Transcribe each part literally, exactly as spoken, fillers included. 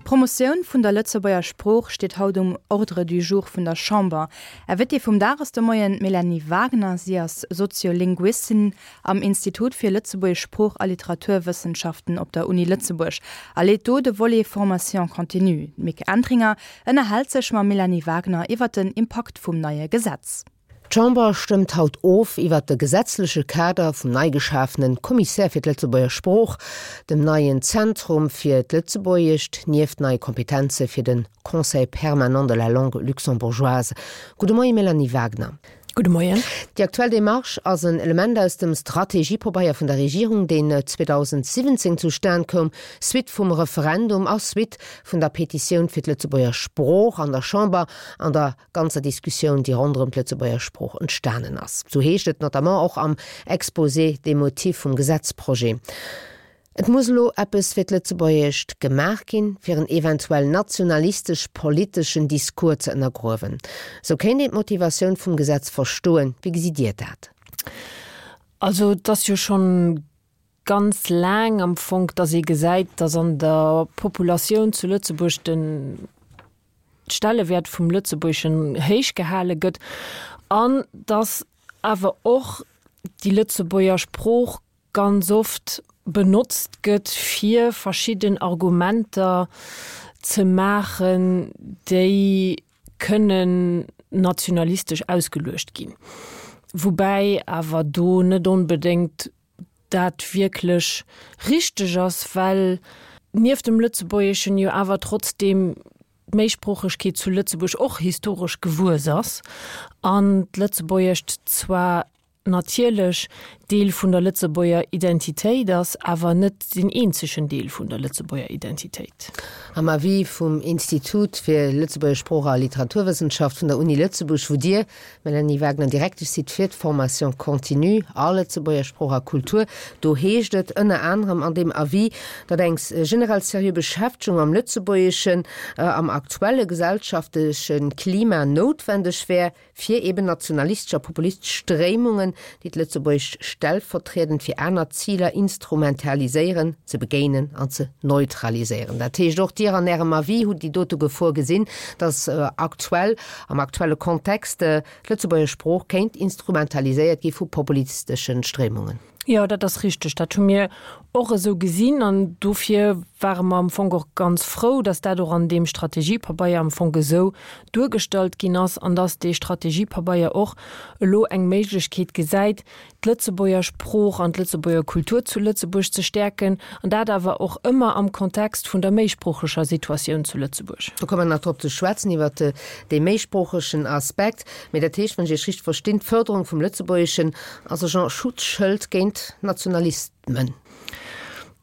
D'Promotioun vun der Lëtzebuerger Sprooch steet haut um Ordre du jour vun der Chamber. Invitée vum Dag ass de Moien d'Mélanie Wagner. Si ass Soziolinguistin am Institut fir Lëtzebuergesch Sprooch a Literaturwëssenschaften op der Uni Lëtzebuerg a leet do de Volet Formation continue. D'Mick Entringer ënnerhält sech mam Mélanie Wagner iwwer den Impakt vum neie Gesetz. D'Chamber stëmmt haut of iwwer de gesetzleche Kader vum nei geschafene Kommissär fir d'Lëtzebuerger Sprooch, dem neien Zentrum fir d'Lëtzebuergescht, nieft neie Kompetenze fir de Conseil permanent de la langue luxembourgeoise. Gudde Moie Mélanie Wagner. Gudde Moien. Déi aktuell Demarche ass en Element aus dem Strategiepabeier vun der Regierung, deen zweedausendsiwwenzéng zustan koum, Suite vum Referendum a Suite vun der Petitioun fir d'Lëtzebuerger Sprooch an der Chamber an der ganzer Diskussioun, déi ronderëm d'Lëtzebuerger Sprooch entstanen ass. Sou heescht et notamment och am Exposé des motifs vum Gesetzprojet. Et muss elo eppes fir d'Lëtzebuergescht gemaach ginn, fir en eventuell nationalistesch-politeschen Discours ze ënnergruewen. Sou kéint een d'Motivatioun vum Gesetz verstoen. Wéi gesitt Dir dat? Also et ass jo schonn ganz laang am Fong, dass ee gesäit, dass an der Populatioun zu Lëtzebuerg den Stellewäert vum Lëtzebuergeschen héich gehale gëtt an dass awer och déi Lëtzebuerger Sprooch ganz oft benotzt gëtt, fir verschidden Argumenter ze maachen, déi kënnen nationalistesch ausgeluecht ginn. Woubäi awer do net onbedéngt dat wierklech richteg ass, well nieft dem Lëtzebuergeschen jo awer trotzdeem d'Méisproochegkeet zu Lëtzebuerg och historesch gewuess ass an d'Lëtzebuergescht zwar natierlech Deel vun der Lëtzebuerger Identitéit ass, awer net deen eenzegen Deel vun der Lëtzebuerger Identitéit. Am Avis vum Institut fir Lëtzebuerger Sprooch a Literaturwëssenschaft vun der Uni Lëtzebuerg, wou Dir, Mélanie Wagner, Direktesch sidd fir d'Formation continue a Lëtzebuerger Sprooch a Kultur, do heescht et ënner anerem an deem Avis, datt eng generell seriö Beschäftegung mam Lëtzebuergeschen am aktuelle gesellschaftleche Klima noutwendeg wär, fir eben nationalistesch a populistesch Stréimungen, déi d'Lëtzebuergescht stellvertriedend fir aner Ziler instrumentaliséieren, ze begéinen an ze neutraliséieren. Dat heescht, och Dir an Ärem Avis hutt déi dote Gefor gesinn, datt aktuell, am aktuelle Kontext, d'Lëtzebuerger Sprooch kéint instrumentaliséiert gi vu populistesche Stréimungen. Jo, dat ass richteg. Dat hu mir och esou gesinn an dofir ware mer am Fong och ganz frou, dass dat och an deem Strategiepabeier am Fong esou duergestallt ginn ass an dass dee Strategiepabeier och elo eng Méiglechkeet gesäit, d'Lëtzebuerger Sprooch an d'Lëtzebuerger Kultur zu Lëtzebuerg ze stäerken, an dat awer och ëmmer am Kontext vun der méisproocheger Situatioun zu Lëtzebuerg. Do komme mer nach drop ze schwätzen, iwwert dee méisproochegen Aspekt. Mee dat heescht, wann ech Iech richteg verstinn, d'Fërderung vum Lëtzebuergeschen ass e Genre Schutzschëld géint Nationalismen.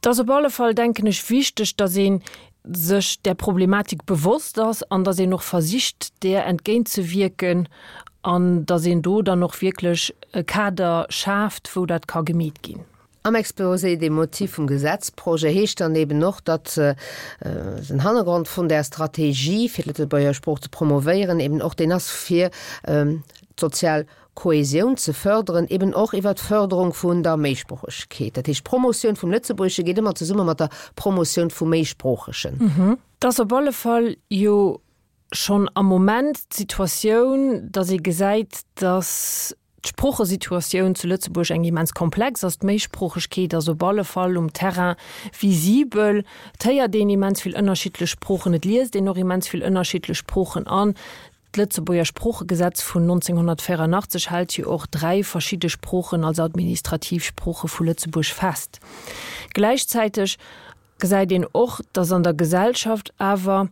Et ass op alle Fall, denken ech, wichteg, datt ee sech där Problematik bewosst ass an datt een och versicht, där entgéintzewierken an datt een do dann och wierklech e Kader schaaft, wou dat ka gemeet ginn. Am Exposé des motifs vum Gesetzprojet heescht dann eben och, datt den Hannergrond vun där Strategie, fir d'Lëtzebuerger Sprooch ze promovéieren, eben och deen ass, fir d'sozial Kohäsioun ze förderen, eben och iwwert d'Förderung vun der Méisproochegkeet. Dat heescht, d'Promotioun vum Lëtzebuergesche geet ëmmer zesumme mat der Promotioun vum Méisproochegen. Et ass op alle Fall jo schonn am Moment d'Situatioun, datt ee gesäit, datt d'Sproochesituatioun zu Lëtzebuerg eng immens komplex ass. D'Méisproochegkeet ass op alle Fall um Terrain visibel. Et héiert een immens vill ënnerschiddlech Sproochen, et liest een och immens vill ënnerschiddlech Sproochen an d'Lëtzebuerger Sproochegesetz vun nonzénghonnertvéierunachtzeg hält jo och dräi verschidde Sproochen als administrativ Sprooche vu Lëtzebuerg fest. Gläichzäiteg gesäit een och, datt an der Gesellschaft awer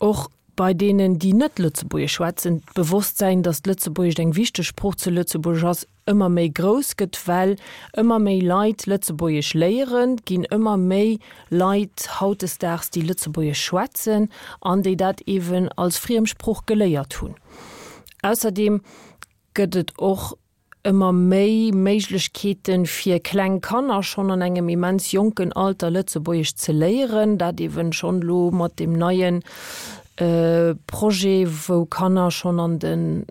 och bei deenen, déi net Lëtzebuergesch schwätzen, d'Bewosstsäin, datt d'Lëtzebuergescht eng wichteg Sprooch zu Lëtzebuerg ass, ëmmer méi grouss gëtt, well ëmmer méi Leit Lëtzebuergesch léieren, ginn ëmmer méi Leit hautdesdaags, déi Lëtzebuergesch schwätzen an déi dat eeben als Friemsprooch geléiert hunn. Ausserdeem gëtt et och ëmmer méi Méiglechkeeten, fir kleng Kanner schonn an engem immens jonken Alter Lëtzebuergesch ze léieren, dat eeben schonn elo mat deem neie Projet, wou Kanner schonn an den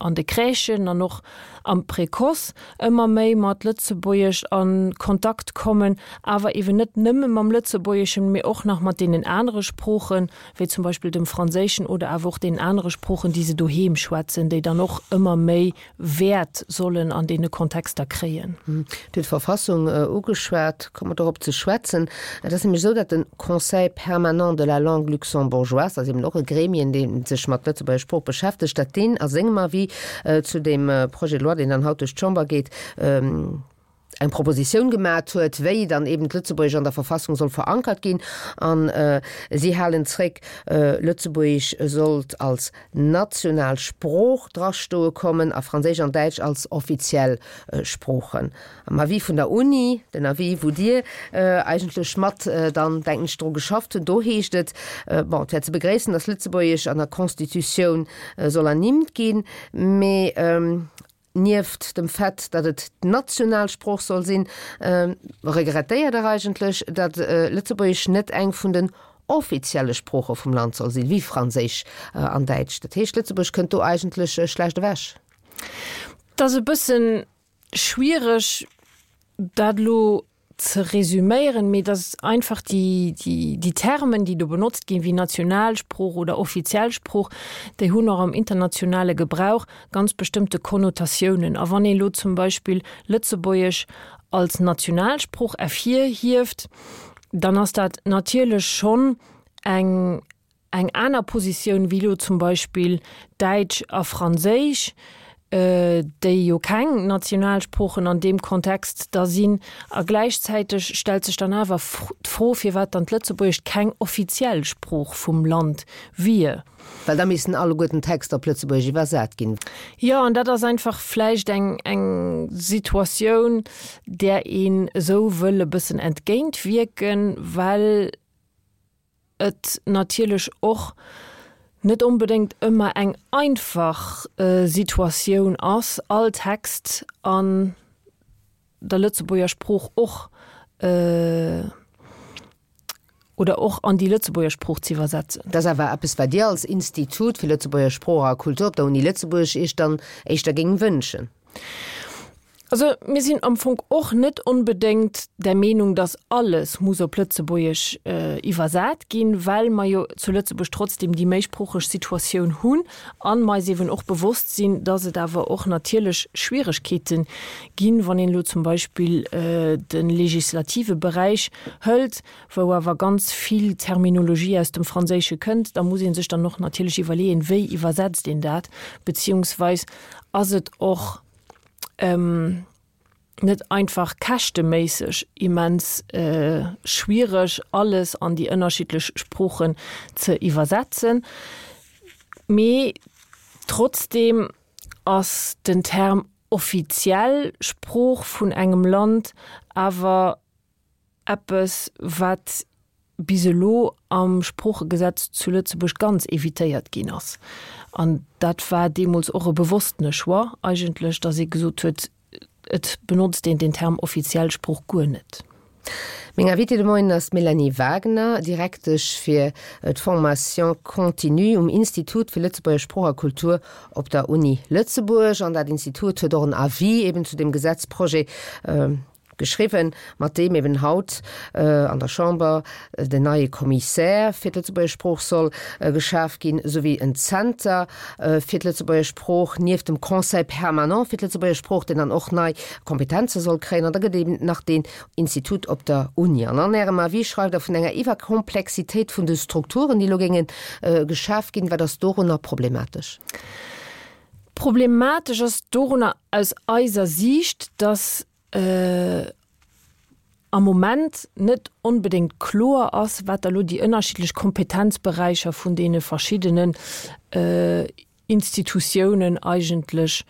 an de Crèchen an och am Précoce ëmmer méi mat Lëtzebuergesch a Kontakt kommen, awer eeben net nëmme mam Lëtzebuergeschen, mee och nach mat deenen anere Sproochen, wéi zum Beispill dem Franséischen oder awer och deenen anere Sproochen, déi se doheem schwätzen, déi dann och ëmmer méi Wäert sollen an deene Kontexter kréien. Dir hutt d'Verfassung ugeschwat, komme mer dorop ze schwätzen. Et ass nämlech esou, datt de Conseil permanent de la langue luxembourgeoise, dat ass eben och e Gremien, dee sech mat Lëtzebuerger Sprooch beschäftegt, datt deen a sengem Avis zu deem Projet de loi, deen dann haut duerch d'Chamber geet, eng Propositioun gemat huet, wéi dann eben d'Lëtzebuergesch an der Verfassung soll verankert ginn. An si halen zréck, Lëtzebuergesch sollt als national Sprooch drastoe kommen a Franséisch an Däitsch als offiziell Sproochen. Am Avis vun der Uni, den Avis, wou Dir eigentlech mat dann, denken ech, dru geschafft hutt, do heescht et, bon, et wär ze begréissen, datt Lëtzebuergesch an der Constitutioun soll ernimmt ginn, mee nieft dem Fait, datt et d'national Sprooch soll sinn, regrettéiert Der eigentlech, datt Lëtzebuergesch net eng vun den offizielle Sprooche vum Land soll sinn, wéi Franséisch an Däitsch. Dat heescht, Lëtzebuerg kënnt do eigentlech schlecht ewech. Et ass e bësse schwiereg, dat elo ze resüméieren, mee dass einfach déi, déi, déi Termen, déi do benotzt ginn, wéi Nationalsprooch oder offiziell Sprooch, déi hunn och am internationale Gebrauch ganz bestëmmte Konnotatiounen. A wann ee elo zum Beispill Lëtzebuergesch als Nationalsprooch ervirhieft, dann ass dat natierlech schonn eng, eng aner Positioun wéi elo zum Beispill Däitsch a Franséisch, déi jo keng Nationalsproochen an deem Kontext da sinn. A gläichzäiteg stellt sech dann awer d'Fro, firwat dann d'Lëtzebuergescht keng offiziell Sprooch vum Land wier. Well da missten alleguerten d'Texter op Lëtzebuergesch iwwersat ginn. Jo, an dat ass einfach vläicht eng, eng Situatioun, där een esou wëll e bëssen entgéintwierken, well et natierlech och net onbedéngt ëmmer eng einfach Situatioun ass, all Text an der Lëtzebuerger Sprooch och oder och an déi Lëtzebuerger Sprooch ze iwwersetzen. Dat ass awer eppes, wat Dir als Institut fir Lëtzebuerger Sprooch a Kultur op der Uni Lëtzebuerg Iech dann éischter géingt wënschen. Also mir sinn am Fong och net onbedéngt der Meenung, dass alles muss op Lëtzebuergesch iwwersat ginn, well mer jo zu Lëtzebuerg trotzdem déi méisproocheg Situatioun hunn a mer eis eeben och bewosst sinn, dass et awer och natierlech Schwieregkeete ginn, wann een elo zum Beispill de legislative Beräich hëlt, wou awer ganz vill Terminologie aus dem Franséische kënnt. Da muss ee sech dann och natierlech iwwerleeën, wéi iwwersetzt een dat, beziehungsweis ass et och net einfach käschteméisseg immens schwiereg, alles an déi ënnerschiddlech Sproochen ze iwwersetzen. Mee trotzdeem ass den Term offiziell Sprooch vun engem Land awer eppes, wat bis elo am Sproochegesetz zu Lëtzebuerg ganz evitéiert ginn ass. An dat war deemools och e bewosstene Choix eigentlech, datt ee gesot huet, et benotzt een den Term offiziell Sprooch guer net. Meng Invitée de Moien ass d'Mélanie Wagner, Direktesch fir d'Formation continue um Institut fir Lëtzebuerger Sprooch a Kultur op der Uni Lëtzebuerg. An dat Institut huet och en Avis eben zu deem Gesetzprojet geschriwwen, mat deem eben haut an der Chamber den neie Commissaire fir d'Lëtzebuerger Sprooch soll geschaf ginn, souwéi en Zenter fir d'Lëtzebuerger Sprooch, nieft dem Conseil permanent fir d'Lëtzebuerger Sprooch, deen dann och nei Kompetenze soll kréien. An da gëtt eben nach deen Institut op der Uni. An an Ärem Avis schreift Der vun enger Iwwerkomplexitéit vun de Strukturen, déi elo géinge geschaf ginn. Wat ass dorunner problematesch? Problematesch ass dorunner aus eiser Siicht, dass am Moment net onbedéngt kloer ass, wat da lo déi ënnerschiddlech Kompetenzberäicher vun deene verschiddenen Institutiounen eigentlech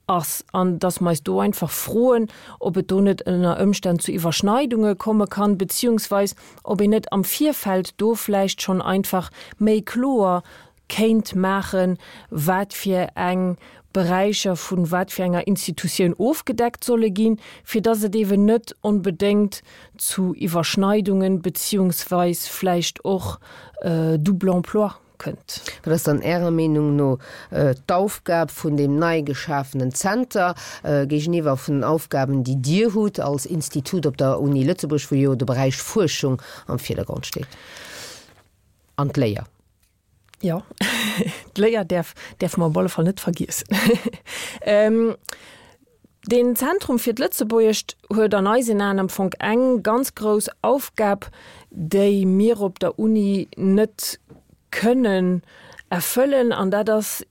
ass an dass mer eis do einfach froen, ob et do net ënner Ëmstänn zu Iwwerschneidunge komme kann, beziehungsweis ob een net am Virfeld do vläicht schonn einfach méi kloer kéint maachen, wat fir eng Beräicher vu wat fir enger Institutioun ofgedeckt solle ginn, fir dass et eeben net onbedéngt zu Iwwerschneidungen beziehungsweis vläicht och Double emploi kënnt. Wat ass dann Ärer Meenung no d'Aufgab vun deem nei geschafenen Zenter géigeniwwer vun den Aufgaben, déi Dir hutt als Institut op der Uni Lëtzebuerg, wou jo de Beräich Fuerschung am Virdergrond steet an d'Léier? Jo, d'Léier däerf, däerfe mer op alle Fall net vergiessen. Deen Zentrum fir d'Lëtzebuergescht huet an eisen Aen am Fong eng ganz grouss Aufgab, déi mir op der Uni net kënnen erfëllen, an dat ass,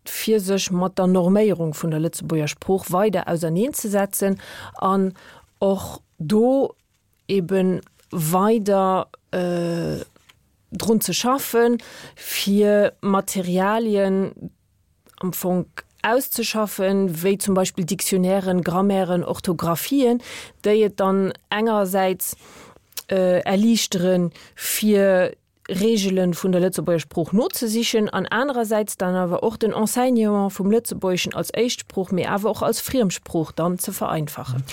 fir sech mat der Norméierung vun der Lëtzebuerger Sprooch weider auserneenzesetzen an och do ebe weider drun ze schaffen, fir Materialien am Fong auszeschaffen, wéi zum Beispill Dictionnairen, Grammairen, Orthographien, déi et dann engersäits erliichteren, fir Reegele vun der Lëtzebuerger Sprooch nozesichen an anerersäits dann awer och den Enseignement vum Lëtzebuergeschen als Éischtsprooch, mee awer och als Friemsprooch dann ze vereinfachen.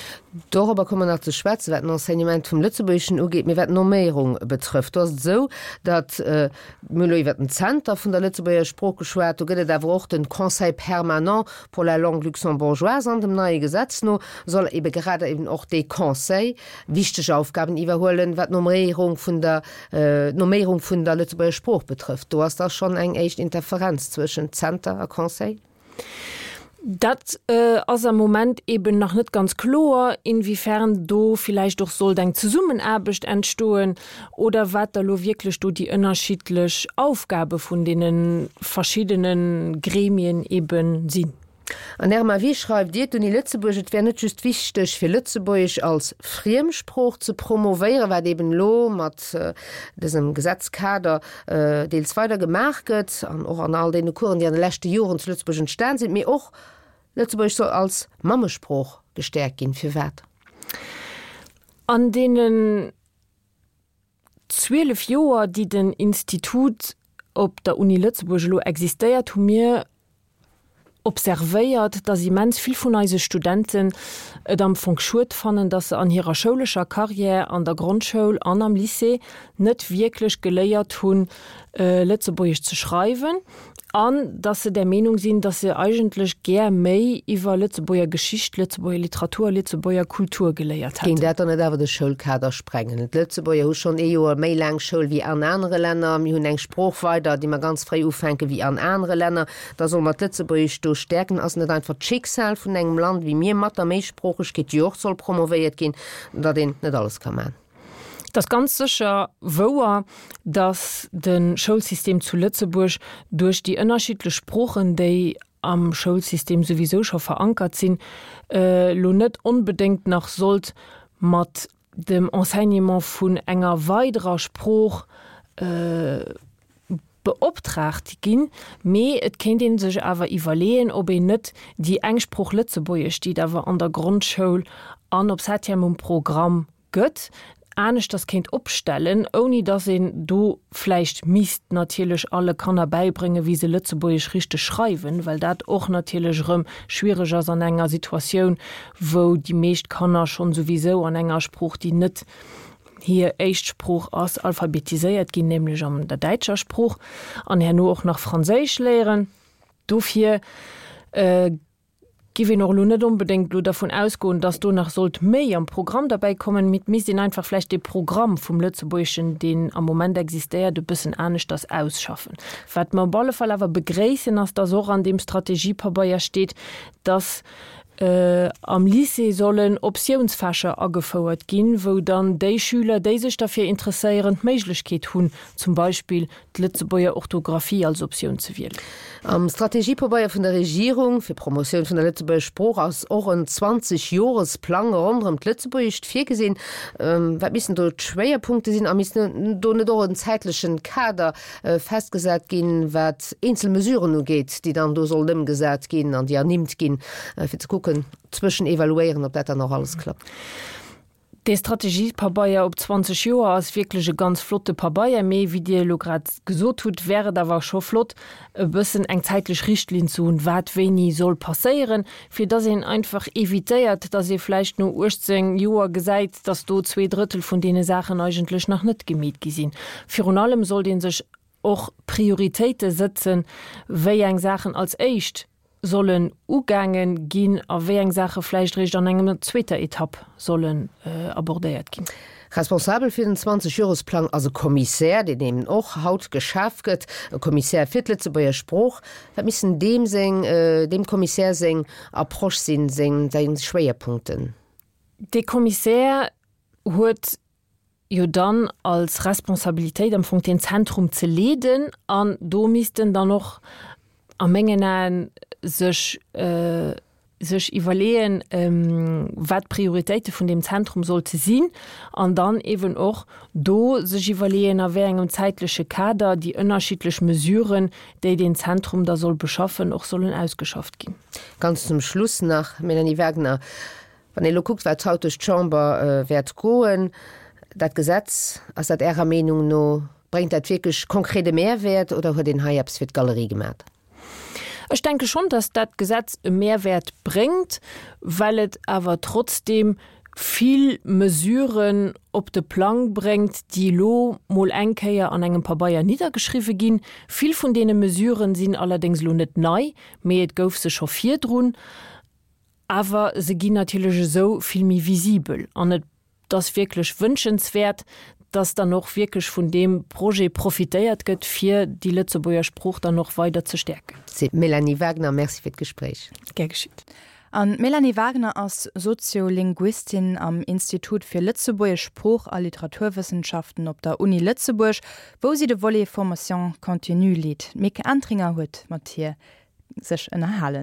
Dorobber komme mer nach ze schwätzen, wat den Enseignement vum Lëtzebuergeschen ugeet. Mee wat d'Norméierung betrëfft, do ass et esou, datt, mir hunn elo iwwert den Zenter vun der Lëtzebuerger Sprooch geschwat, do gëtt et awer och den Conseil permanent pour la langue luxembourgeoise an dem neie Gesetz no soll ebe gerade eben och dee Conseil wichteg Aufgaben iwwerhuelen, wat d'Norméierung vun der, d'Norméierung vun der Lëtzebuerger Sprooch betrëfft. Do ass da schonn eng éischt Interferenz zwëschent Zenter a Conseil. Dat ass am Moment eben nach net ganz kloer, inwiefern do villäicht och sollt eng Zesummenaarbecht entstoen oder wat da lo wierklech do déi ënnerschiddlech Aufgabe vun deene verschiddene Gremien eben sinn. An Ärem Avis schreift Dir, d'Uni Lëtzebuerg, et wär net just wichteg fir Lëtzebuergesch als Friemsprooch ze promovéieren, wat eben elo mat dësem Gesetzkader deels weider gemaach gëtt an och an all deene Coursen, déi an de leschte Joren zu Lëtzebuerg entstan sinn, mee och Lëtzebuergesch soll als Mammesprooch gestäerkt ginn. Firwat? An deenen zwielef Joer, déi den Institut op der Uni Lëtzebuerg elo existéiert, hu mir observéiert, dass immens vill vun eise Studenten et am Fong schued fannen, dass se an hirer schoulescher Carrière an der Grondschoul an am Lycée net wierklech geléiert hunn, Lëtzebuergesch ze schreiwen an dass se der Meenung sinn, dass se eigentlech gär méi iwwer Lëtzebuerger Geschicht, Lëtzebuerger Literatur, Lëtzebuerger Kultur geléiert Géing hätten. dat dann net awer de Schoulkader sprengen? D'Lëtzebuerger hu schonn ee Joer méi laang Schoul wéi an anere Länner. Mir hunn eng Sprooch weider, déi mer ganz fréi ufänke wéi an anere Länner. Da solle mer d'Lëtzebuergescht do stäerken. Ass net einfach d'Schicksal vun engem Land wéi mir mat der Méisproochegkeet, déi och soll promovéiert ginn, datt een net alles ka man? Et ass ganz sécher wouer, datt de Schoulsystem zu Lëtzebuerg duerch déi ënnerschiddlech Sproochen, déi am Schoulsystem souwisou scho verankert sinn, elo net onbedéngt nach sollt mat dem Enseignement vun enger weiderer Sprooch beoptraagt ginn. Mee et kéint ee sech awer iwwerleeën, ob een net déi eng Sprooch Lëtzebuergesch, déi et awer an der Grondschoul an op Septième um Programm gëtt, aneschters kéint opstellen, ouni datt een do vläicht misst natierlech alle Kanner bäibréngen, wéi se Lëtzebuergesch richteg schreiwen, well dat och natierlech erëm schwiereg ass an enger Situatioun, wou déi meescht Kanner schonn souwisou an enger Sprooch, déi net hir éischt Sprooch ass, alphabetiséiert ginn, nämlech an der däitscher Sprooch, an herno och nach Franséisch léieren. Dofir Giff een och elo net onbedéngt elo dervun ausgoen, dass do nach sollt méi am Programm derbäi kommen, mee et misst een einfach vläicht dee Programm vum Lëtzebuergeschen, deen am Moment existéiert, e bëssen aneschters ausschaffen. Wat mer op alle Fall awer begréissen, ass, dass och an deem Strategiepabeier steet, dass am Lycée sollen Optiounsfächer agefouert ginn, wou dann déi Schüler, déi sech derfir interesséieren, d'Méiglechkeet hunn, zum Beispill d'Lëtzebuerger Orthografie als Optioun ze wielen. Am Strategiepabeier vun der Regierung fir d'Promotioun vun der Lëtzebuerger Sprooch ass och en zwanzeg-Jores-Plang ronderëm d'Lëtzebuergescht virgesinn. Wat missten do d'Schwéierpunkte sinn a misst do net och en zäitlechen Kader festgesat ginn, wat eenzel Mesuren ugeet, déi dann do sollen ëmgesat ginn an déi ernimmt ginn, fir ze kucken, zwëschen evaluéieren, ob dat dann och alles klappt? Dee Strategiepabeier op zwanzeg Joer ass wierklech e ganz flotte Pabeier, mee wéi Dir elo grad gesot hutt, wär et awer scho flott, e bëssen eng zäitlech Richtlinn ze hunn, wat wéini soll passéieren, fir dass een einfach evitéiert, dass ee vläicht no uechtzéng Joer gesäit, dass do zwee Drëttel vun deene Saachen eigentlech nach net gemeet gi sinn. Virun allem sollt ee sech och Prioritéite sëtzen, wéi eng Saachen als éischt sollen ugaange ginn a wéi eng Saache vläicht eréischt an enger zweeter Etapp sollen abordéiert ginn. Responsabel fir den Zwanzeg-Joresplang ass e Kommissär, deen eben och haut geschaf gëtt, e Kommissär fir d'Lëtzebuerger Sprooch. Wat missten deem seng, deem Kommissär seng Approche sinn, seng, seng Schwéierpunkten? Dee Kommissär huet jo dann als Responsabilitéit am Fong deen Zentrum ze leeden an do misst en dann och a mengen Aen sech sech iwwerleeën, wat d'Prioritéite vun deem Zentrum sollte sinn an dann eeben och do sech iwwerleeën, a wéi engem zäitleche Kader déi ënnerschiddlech Mesuren, déi deen Zentrum da soll beschaffen, och sollen ausgeschafft ginn. Ganz zum Schluss nach, Mélanie Wagner, wann ee elo kuckt, wat haut duerch d'Chamber wäert goen, dat Gesetz, ass dat Ärer Meenung no, bréngt dat wierklech konkret e Mehrwäert oder huet een hei eppes fir d'Galerie gemat? Ech denke schonn, dass dat Gesetz e Mehrwäert bréngt, well et awer trotzdeem vill Mesuren op de Plang bréngt, déi elo mol eng Kéier an engem Pabeier niddergeschriwwe ginn. Vill vun deene Mesuren sinn allerdéngs elo net nei, mee et gouf se scho virdrun. Awer se ginn natierlech esou vill méi visibel an et ass wierklech wënschenswäert, dass dann och wierklech vun deem Projet profitéiert gëtt, fir déi Lëtzebuerger Sprooch dann och weider ze stäerken. Seet d'Mélanie Wagner. Merci fir d'Gespréich. Gär geschitt. An d'Mélanie Wagner ass Soziolinguistin am Institut fir Lëtzebuergesch Sprooch a Literaturwëssenschaften op der Uni Lëtzebuerg, wou si de Volet Formation continue leet. D'Mick Entringer huet mat hir sech ënnerhalen.